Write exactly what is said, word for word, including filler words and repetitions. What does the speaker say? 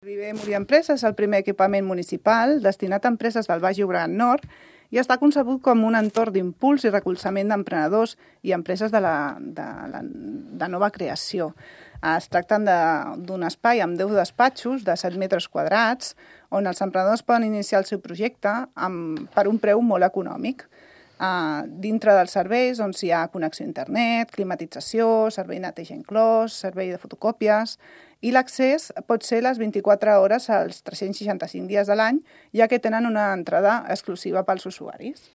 Viver Multiempresa és el primer equipament municipal destinat a empreses del Baix Llobregat Nord i està concebut com un entorn d'impuls i recolzament d'emprenedors i empreses de, la, de, la, de nova creació. Es tracta d'un espai amb deu despatxos de set metres quadrats on els emprenedors poden iniciar el seu projecte amb, per un preu molt econòmic. Uh, dintre dels serveis on hi ha connexió a internet, climatització, servei neteja inclòs, servei de fotocòpies, i l'accés pot ser les vint-i-quatre hores als tres-cents seixanta-cinc dies de l'any, ja que tenen una entrada exclusiva pels usuaris.